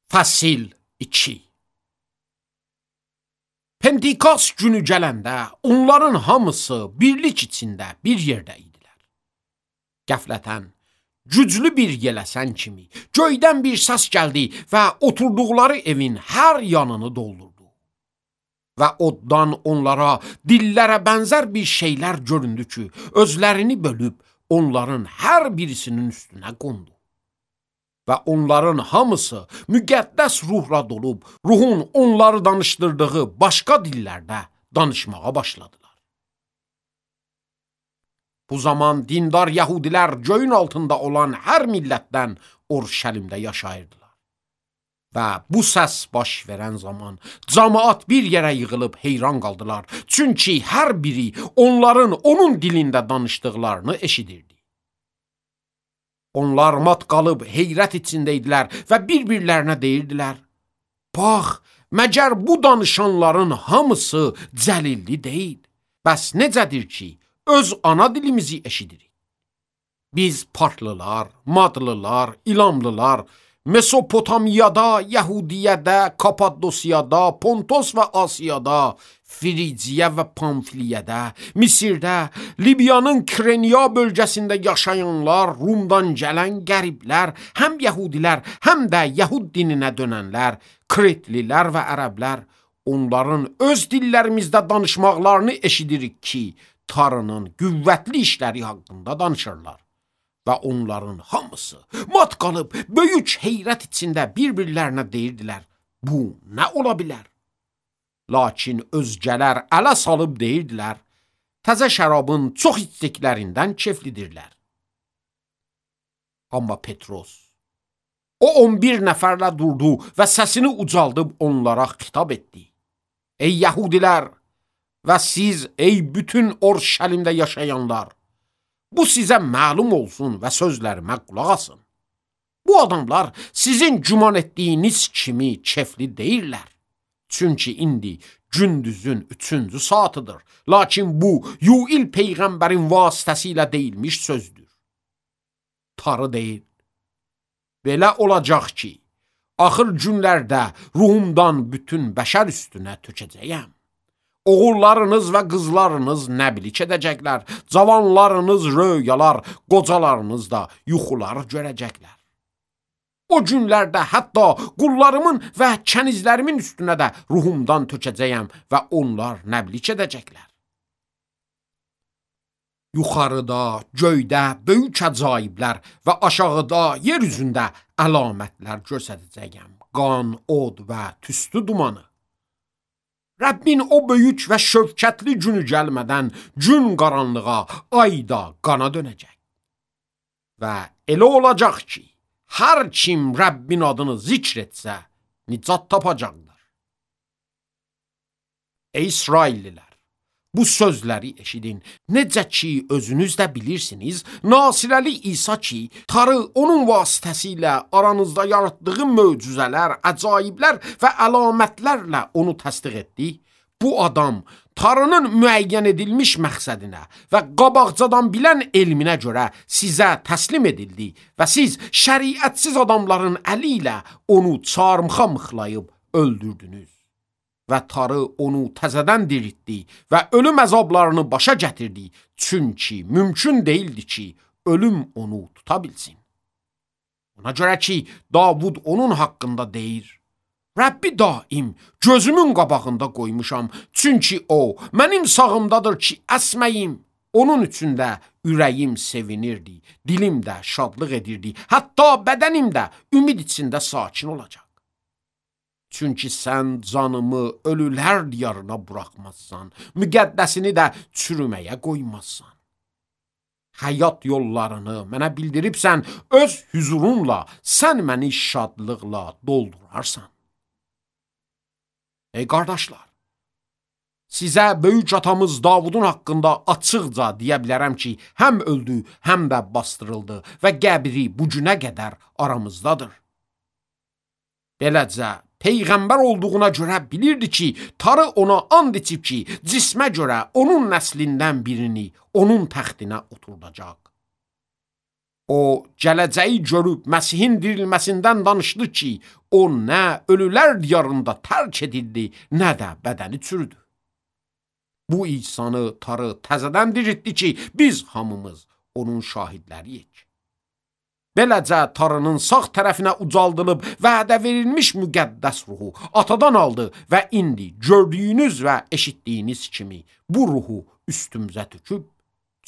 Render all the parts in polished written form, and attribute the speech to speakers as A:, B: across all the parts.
A: Fəsil 2. Pentikast günü gələndə onların hamısı birlik içində bir yerdə idilər. Qəflətən, güclü bir yələsən kimi göydən bir səs gəldi və oturduqları evin hər yanını doldurdu. Və oddan onlara dillərə bənzər bir şeylər göründü ki, özlərini bölüb onların hər birisinin üstünə qondu. Və onların hamısı müqəddəs ruhla dolub, ruhun onları danışdırdığı başqa dillərdə danışmağa başladılar. Bu zaman dindar yəhudilər göyün altında olan hər millətdən Urşəlimdə yaşayırdılar. Və bu səs baş verən zaman cəmaət bir yerə yığılıb heyran qaldılar. Çünki hər biri onların onun dilində danışdıqlarını eşidirdi. Onlar mat qalıb heyrət içində idilər və bir-birlərinə deyirdilər: Bax, məgər bu danışanların hamısı cəlilli deyil. Bəs necədir ki, öz ana dilimizi eşidirik? Biz partlılar, madlılar, ilamlılar, Mesopotamiyada, Yəhudiyədə, Kapadosiyada, Pontos və Asiyada, Frigiya və Pamfiliyədə, Misirdə, Libiyanın Kreniya bölgəsində yaşayanlar, Rumdan gələn qəriblər, həm yəhudilər, həm də yəhud dininə dönənlər, Kretlilər və ərəblər, onların öz dillərimizdə danışmaqlarını eşidirik ki, Tanrının qüvvətli işləri haqqında danışırlar. Və onların hamısı mat qalıb böyük heyrət içində bir-birlərinə deyirdilər: Bu nə ola bilər? Lakin özgələr ələ salıb deyirdilər: Təzə şərabın çox içdiklərindən keflidirlər. Amma Petros, o 11 nəfərlə durdu və səsini ucaldıb onlara xitab etdi: Ey yəhudilər və siz, ey bütün Urşəlimdə yaşayanlar! Bu sizə məlum olsun və sözlərimə qulaq asın. Bu adamlar sizin güman etdiyiniz kimi kefli deyirlər. Çünki indi gündüzün 3-cü saatıdır. Lakin bu, Yuil peyğəmbərin vasitəsilə deyilmiş sözdür. Tanrı deyir: Belə olacaq ki, axır günlərdə ruhumdan bütün bəşər üstünə tökəcəyəm. Oğullarınız və qızlarınız nəbilik edəcəklər, cavanlarınız röyalar, qocalarınız da yuxular görəcəklər. O günlərdə hətta qullarımın və kənizlərimin üstünə də ruhumdan tökəcəyəm və onlar nəbilik edəcəklər. Yuxarıda, göydə böyük əcaiblər və aşağıda, yer üzündə əlamətlər göstərəcəyəm. Qan, od və tüstü dumanı. Rəbbin o böyük və şövkətli günü gəlmədən gün qaranlığa, ay da qana dönəcək. Və elə olacaq ki, hər kim Rəbbin adını zikr etsə, nicat tapacaqdır. Ey İsraillilər, bu sözləri eşidin. Necə ki, özünüz də bilirsiniz, Nasirəli İsa ki, Tanrı onun vasitəsilə aranızda yaratdığı möcüzələr, əcaiblər və əlamətlərlə onu təsdiq etdi. Bu adam Tanrının müəyyən edilmiş məqsədinə və qabaqcadan bilən elminə görə sizə təslim edildi və siz şəriətsiz adamların əli ilə onu çarmıxa mıxlayıb öldürdünüz. Və Tanrı onu təzədən diriltdi və ölüm əzablarını başa gətirdi, çünki mümkün deyildi ki, ölüm onu tuta bilsin. Ona görə ki, Davud onun haqqında deyir: Rəbbi daim gözümün qabağında qoymuşam, çünki o mənim sağımdadır ki, əsməyim. Onun üçün də ürəyim sevinirdi, dilim də şadlıq edirdi, hətta bədənim də ümid içində sakin olacaq. Çünki sən canımı ölülər diyarına buraxmazsan, müqəddəsini də çürüməyə qoymazsan. Həyat yollarını mənə bildiribsən, öz hüzurunla sən məni şadlıqla doldurarsan. Ey qardaşlar, sizə böyük atamız Davudun haqqında açıqca deyə bilərəm ki, həm öldü, həm də bastırıldı və qəbri bu günə qədər aramızdadır. Beləcə, peyğəmbər olduğuna görə bilirdi ki, Tanrı ona and içib ki, cismə görə onun nəslindən birini onun təxtinə oturdacaq. O, gələcəyi görüb Məsihin dirilməsindən danışdı ki, o nə ölülər diyarında tərk edildi, nə də bədəni çürüdü. Bu İsanı tarı təzədən diriltdi ki, biz hamımız onun şahidləriyik. Beləcə tarının sağ tərəfinə ucaldılıb vədə verilmiş müqəddəs ruhu atadan aldı və indi gördüyünüz və eşitdiyiniz kimi bu ruhu üstümüzə töküb.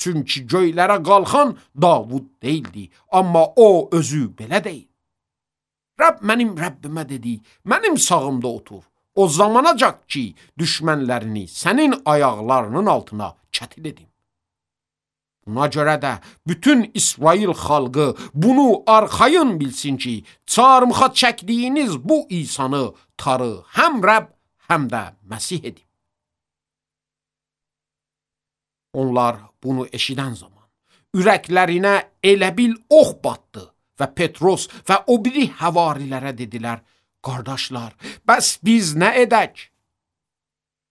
A: Çünki göylərə qalxan Davud deyildi, amma o özü belə deyil. Rəbb mənim Rəbbimə dedi, mənim sağımda otur. O zamanacaq ki, düşmənlərini sənin ayaqlarının altına kətil edim. Buna görə də bütün İsrail xalqı bunu arxayın bilsin ki, çarmıxa çəkdiyiniz bu İsanı tarı həm Rəbb, həm də Məsih edib. Onlar bunu eşidən zaman ürəklərinə elə bil ox batdı və Petros və o biri həvarilərə dedilər, qardaşlar, bəs biz nə edək?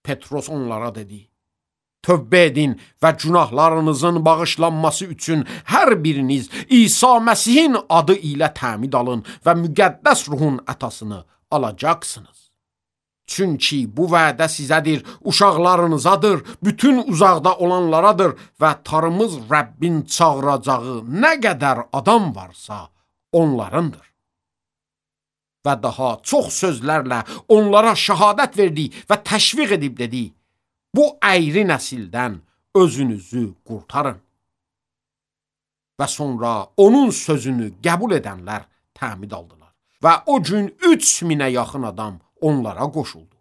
A: Petros onlara dedi, tövbə edin və günahlarınızın bağışlanması üçün hər biriniz İsa Məsihin adı ilə təmid alın və müqəddəs ruhun ətasını alacaqsınız. Çünki bu vədə sizədir, uşaqlarınızadır, bütün uzaqda olanlaradır və tarımız Rəbbin çağıracağı nə qədər adam varsa onlarındır. Və daha çox sözlərlə onlara şəhadət verdi və təşviq edib dedi, bu əyri nəsildən özünüzü qurtarın. Və sonra onun sözünü qəbul edənlər təmid aldılar və o gün 3000-ə yaxın adam onlara qoşuldu.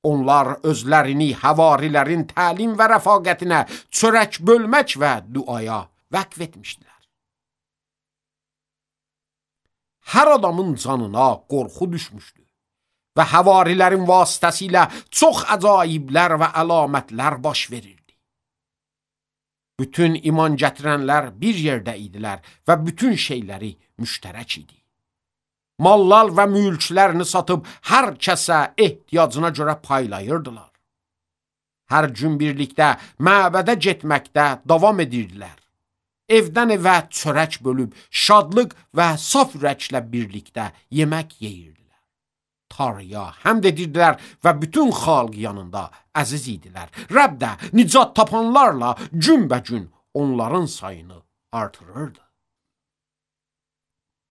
A: Onlar özlərini həvarilərin təlim və rəfaqətinə çörək bölmək və duaya vəqf etmişdilər. Hər adamın canına qorxu düşmüşdü və həvarilərin vasitəsilə çox əcaiblər və əlamətlər baş verirdi. Bütün iman gətirənlər bir yerdə idilər və bütün şeyləri müştərək idi. Mallar və mülklərini satıb hər kəsə ehtiyacına görə paylayırdılar. Hər gün birlikdə məbədə getməkdə davam edirdilər. Evdən evə çörək bölüb şadlıq və saf ürəklə birlikdə yemək yeyirdilər. Tanrıya həmd edirdilər və bütün xalq yanında əziz idilər. Rəbb də nicat tapanlarla günbəgün onların sayını artırırdı.